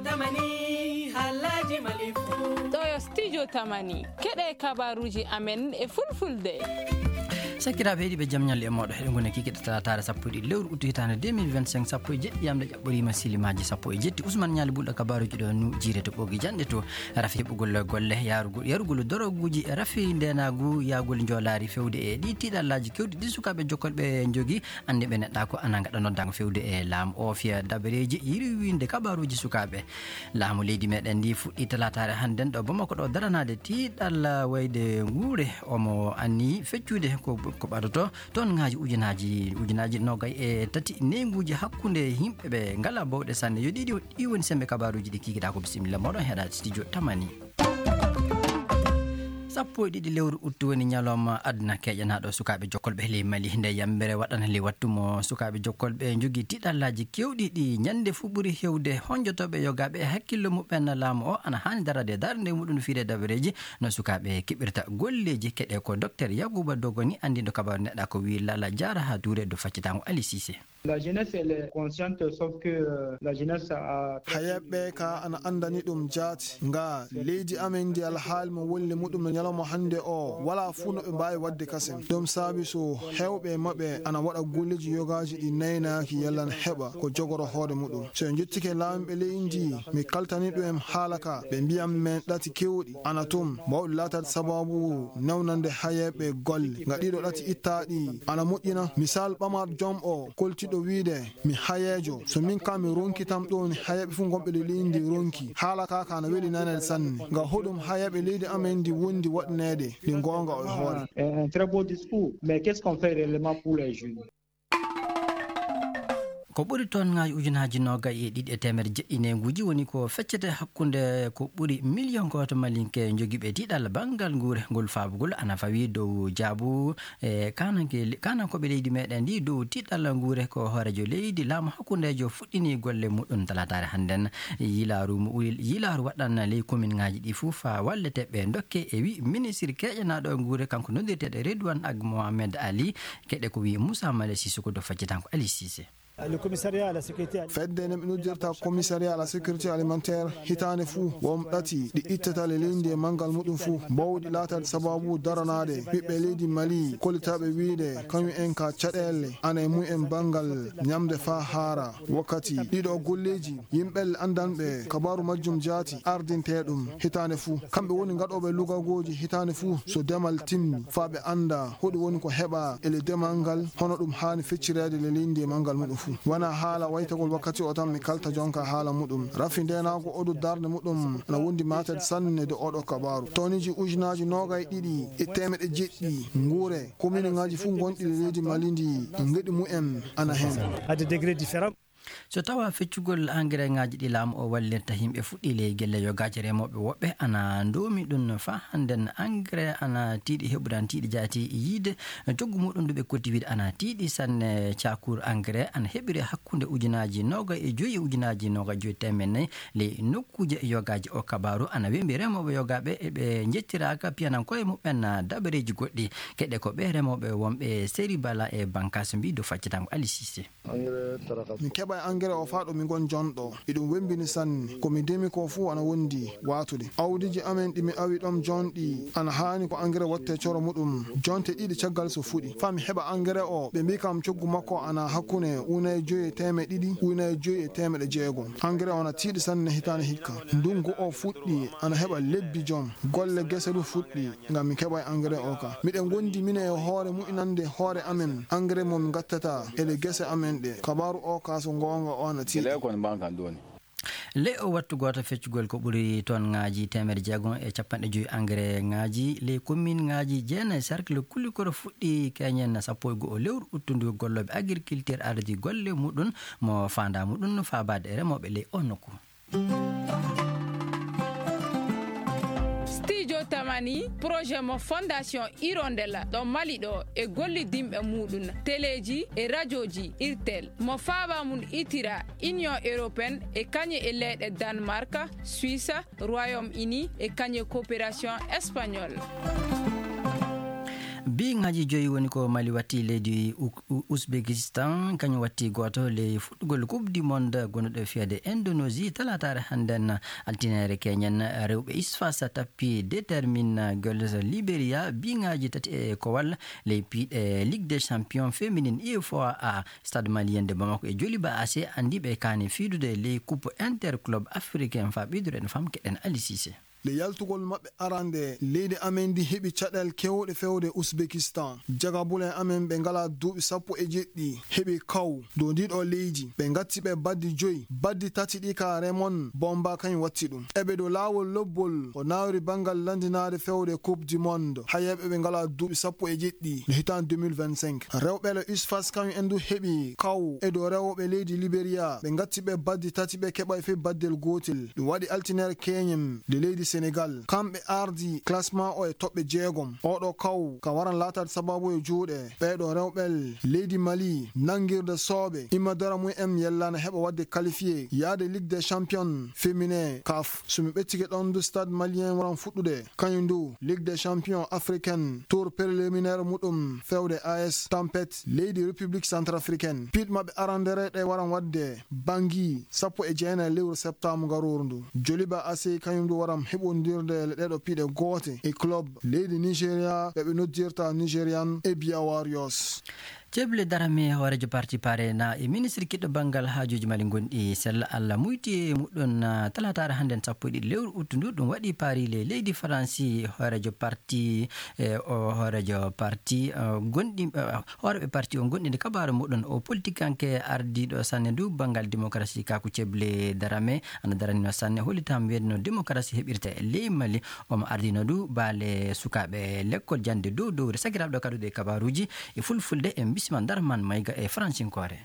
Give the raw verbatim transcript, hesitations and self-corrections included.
Tamani, haalaaji Mali fuu. Ɗo yo Studio Tamani, keɗe kabaruuji amen e fulfulde. Sakiraaɓe heɗiiɓe, jam ñalle e mooɗon. Heɗen ngoni kikiɗe talataare sappo e ɗiɗi lewru uttu hitaande deux mille vingt-cinq, sappo e jeɗɗi yamɗe ƴaɓɓoriima silimaaji sappo e jetti. Usman Ñaali Bulɗo kabaruuji ɗo nu jiire to ɓoogi janɗe to rafi heɓugol golle, yarugol, yarugol doroguuji, rafi ndeenaagu, yahgol njoolaari fewde e ɗi tiiɗallaaji keewɗi ɗi sukaaɓe jokkolɓe njogii. Annde ɓe neɗɗa ko ana ngaɗa noddaango fewde e laamu o fiya dabareeji yirwinde kabaruuji sukaaɓe. Laamu leydi meɗen ndi fuɗɗi talataare hannden ɗo Bamako ɗo daranaade tiiɗalla wayde nguure. Omo anni feccude ko, ko ɓadoto toon ngaaji ujunaaji, ujunaaji noogay e tati neynguuji hakkunde yimɓe ɓe ngala bawɗe sanne. Yo ɗiɗi, ɗi woni sembe kabaruuji ɗi kikiɗa ko. Bisimilla mooɗon heɗa studio Tamani. Sappo e ɗiɗi lewru uttu woni ñalawma aduna keƴanaaɗo sukaaɓe jokkolɓe ley Mali. Nde yambere waɗana ley wattu mo sukaaɓe jokkolɓe njogii tiiɗallaaji keewɗi ɗi ñande fuu ɓuri hewde honjotooɓe yogaaɓe e hakkillo muɓɓen. Laamu o ana haani darade darnde muɗum fiide dabareeji no sukaaɓe keɓirta golleeji. Keɗe ko Docteur Yakuba Dogoni, anndinɗo kabaru neɗɗa ko wii Lala Jaara haa duure do faccitango Ali Cissé. La jeunesse, elle est consciente, sauf que, euh, la jeunesse a Hayeeɓe ka ana anndani ɗum jaati. Nga leydi amen ndi alhaali mo wolli muɗum no ñalawma hannde o, wala fuu no ɓe mbaawi waɗde kasen. Ɗum saabi so heewɓe e maɓɓe ana waɗa golleeji yogaaji ɗi naynaaki yalla na heɓa ko jogoro hoore muɗum. So en njettike laamiiɓe leydi ndi, mi kaltani ɗum en haala ka, ɓe mbiyan men ɗati keewɗi ana tum, mawɗi laataade sababu newnande hayeeɓe golle. Nga ɗiɗo ɗati ittaaɗi ana moƴƴina. Misal, Ɓamar Joom o koltiɗo wiide, mi hayeejo. So min ka mi ronki tam ɗo ni hayeeɓe fof gonɓe ley leydi ndi ronki. Haala ka ka ana weli nanede sanne. Nga hoɗum hayeeɓe leydi amen ndi wondi waɗaneede ndi goonga o e hoore. Un, un très beau discours, mais qu'est-ce qu'on fait réellement pour les jeunes? Ko ɓuri toon ngaji ujunaaji noogay e ɗiɗi e teemedde jeɗɗi neynguuji woni ko feccete hakkunde ko ɓuri miliyon gooto malinke jogiiɓe tiiɗalla banngal nguure ngol faabugol ana fawi dow jaabu e kananke, kanankooɓe leydi meɗen ndi dow tiiɗalla nguure ko hoorejo leydi laamu hakkundejo fuɗɗini golle muɗum talataare hannden. Yilaaru mo uli, yilaaru waɗan ley komin ngaji ɗi fof faa walleteɓe dokke e wi ministre keƴanaɗo nguure kanko noddirteɗo Redouane Ag Mohamed Ali. Keɗe ko wi Moussa Male Sissoko do faccitanko Ali Cissé. Le commissariat à la sécurité alimentaire. Fedde nde ɓe noddirta commissariat à la sécurité alimentaire hitaande fuu won ɗati ɗi ittata le leydi e manngal muɗum fuu bawɗi laataade sababu daranaade ɓiɓɓe leydi Mali kollitaaɓe wiyde kañum en ka caɗeele ana e mum en banngal ñamde faa haara. Wakkati ɗiɗo golleeji yimɓe anndanɓe kabaaru majjum jaati ardintee ɗum hitaande fuu. Kamɓe woni ngaɗooɓe lugagooji hitaande fuu so demal timmi faa ɓe annda hoɗum woni ko heɓa e le demal ngal, hono ɗum haani feccireede le leydi e manngal muɗum fuu. Wona haala waytagol wakkati o tan mi kalta jonka haala muɗum. Rafi ndeenaagu oɗo darnde muɗum ana wondi maated sanne de oɗo kabaaru. Toniji ujunaaji noogay ɗiɗi e teemeɗe jeɗɗi nguure kominuŋaaji fuu gonɗi le leydi Mali ndi ngeɗi mumen ana heen. À des degrés différents. So tawa feccugol engrais ŋaaji ɗi laamu o wallirta yimɓe fuɗɗi ley gelle yogaaji remooɓe woɓɓe ana ndoomi ɗum faa hannden engrais ana tiiɗi heɓude ana tiiɗi jaati yiide coggu muɗum ndu ɓe kotti wiide ana tiiɗi sanne. Caakuur engrais ana heɓire hakkunde ujunaaji noogay e joyi e ujunaaji noogay joyi teemeɗɗe nayi ley nokkuuje yogaaji. O kabaaru ana wembi remooɓe yogaaɓe e ɓe njettiraaka piyanankooɓe muɓɓen dabareeji goɗɗi. Keɗe ko ɓe remooɓe wonɓe Seri Bala e Bankaas mbi do faccitango Ali Cissé. Mi keɓa e engrais o faa ɗo mi ngon jonɗo. Iɗum wembini sanne. Ko mi demi ko fuu ana wondi waatude. Awdiiji amen ɗi mi awi ɗom jonɗi ana haani ko engrais watte coro muɗum jonte ɗiɗi caggal so fuɗi. Faa mi heɓa engrais o, ɓe mbii kam coggu makko ana hakkunde unaye joyi e teemeɗe ɗiɗi, unaye joyi e teemeɗe jeegom. Engrais o ana tiiɗi sanne hitaande hikka. Ndungu o fuɗɗi ana heɓa lebbi jom. Golle gese du fuɗɗi. Ngam mi keɓa engrais o ka. Miɗen gondi minen e hoore mu'inande hoore amen engrais mo mi gattata e le gese amen ɗe. Kabaaru o ka so goonga o ana tiiɗi. Ley o wattu gooto feccugol ko ɓuri ton ŋaaji teemedde jeegom e capanɗe joyi engrais ŋaaji ley commune ŋaaji jeenayi cercle Kulikoro fuɗɗi keñen sappo e go'o lewru uttundu gollooɓe agriculture ardii golle muɗum mo faandaa muɗum faabaade e remooɓe ley o nokku. Studio Tamani, projet mo Fondation Hirondella ɗo Mali ɗo e gollidinɓe muɗum, teleeji e rajooji, irtel, mo faaba mum itira Union Européenne e kañe e leyɗe Danemark, Suisse, Royaume-Uni e kañe coopération espagnole. Biŋaaji joyi woni ko Mali watti leydi U-, U-, Uzbekistan, kañum watti gooto ley fuɗɗugol Coupe du Monde gonuɗo fiyade Indonésie, talataare hannden altineere keñen. Rewɓe Isfas tappi Determine Girls Liberia, biŋaaji tati e kowal ley piiɗe Ligue des Champions féminine U F O A A, Stade Malien de Bamako e Joliba A C anndi ɓe kaani fiidude ley Coupe Interclub Africain. Faa ɓeydude en fam keɗen Ali Cissé. Nde yaltugol maɓɓe arande, leydi amen ndi heɓi caɗeele keewɗe fewde Uzbekistan. Jagabule amen ɓe ngalaa duuɓi sappo e jeɗɗi heɓi kaw dow ndiiɗo leydi. Ɓe ngatti ɓe baddi joyi, baddi tati ɗi ka Raymond Bomba kañum watti ɗum. Eɓe dow laawol lobbol ko nawri banngal lanndinaade fewde Coupe du Monde. Hayeeɓe ɓe ngalaa duuɓi sappo e jeɗɗi no hitaande deux mille vingt-cinq. Rewɓe le Usfas kañum en du heɓi kaw e dow rewɓe leydi Liberia. Ɓe ngatti ɓe baddi tati, ɓe keɓa e fii baddel gootel. Ɗum waɗi altinere keñen nde leydi Senegal. Kamɓe ardi classement o e toɓɓe jeegom. Oɗo kaw ka waran laataade sababu e juuɗe ɓeeɗo rewɓe leydi Mali, nangirde sooɓe. Imma dara mum en yellana heɓa waɗde qualifié yaade Ligue des Champions féminin caf. So mi ɓettike ɗon du Stade Malien waran fuɗɗude. Kañum du Ligue des Champions africaine tour préliminaire muɗum fewde A S Tampet leydi République Centrafricaine. Piiɗ maɓɓe arandere ɗe waran waɗde Bangui sappo e jeenayi lewru septembre ngarooru ndu. Joliba A C kañum du waran heɓondirde le ɗeɗo piiɗe goote e club leydi Nigeria ɓe ɓe noddirta Nigerian Ebia Warriors. Ceble Darame, hooreejo parti Parena e ministre kiɗɗo banngal haajuuji Mali ngonɗi sella Allah muyti e muɗɗon, ah, talataare hannden sappo e ɗiɗi lewru uttu ndu. Ɗum waɗi paari le leydi Faransi. Hooreejo parti, e o hooreejo parti, ah, gonɗi, ah, hooreeɓe parti o gonɗinde kabaaru muɗɗon. O politikanke ardiiɗo sanne ndu banngal démocratie, kaku Ceble Darame, ana daranino sanne hollitam weedno démocratie heɓirta e ley Mali. Omo ardino du baale sukaaɓe lekkol jannde dow dowre. Sakiraaɓe, ɗo kaɗuɗe kabaruuji e fulfulde, en bisima Darman Mayga e faransinkoore.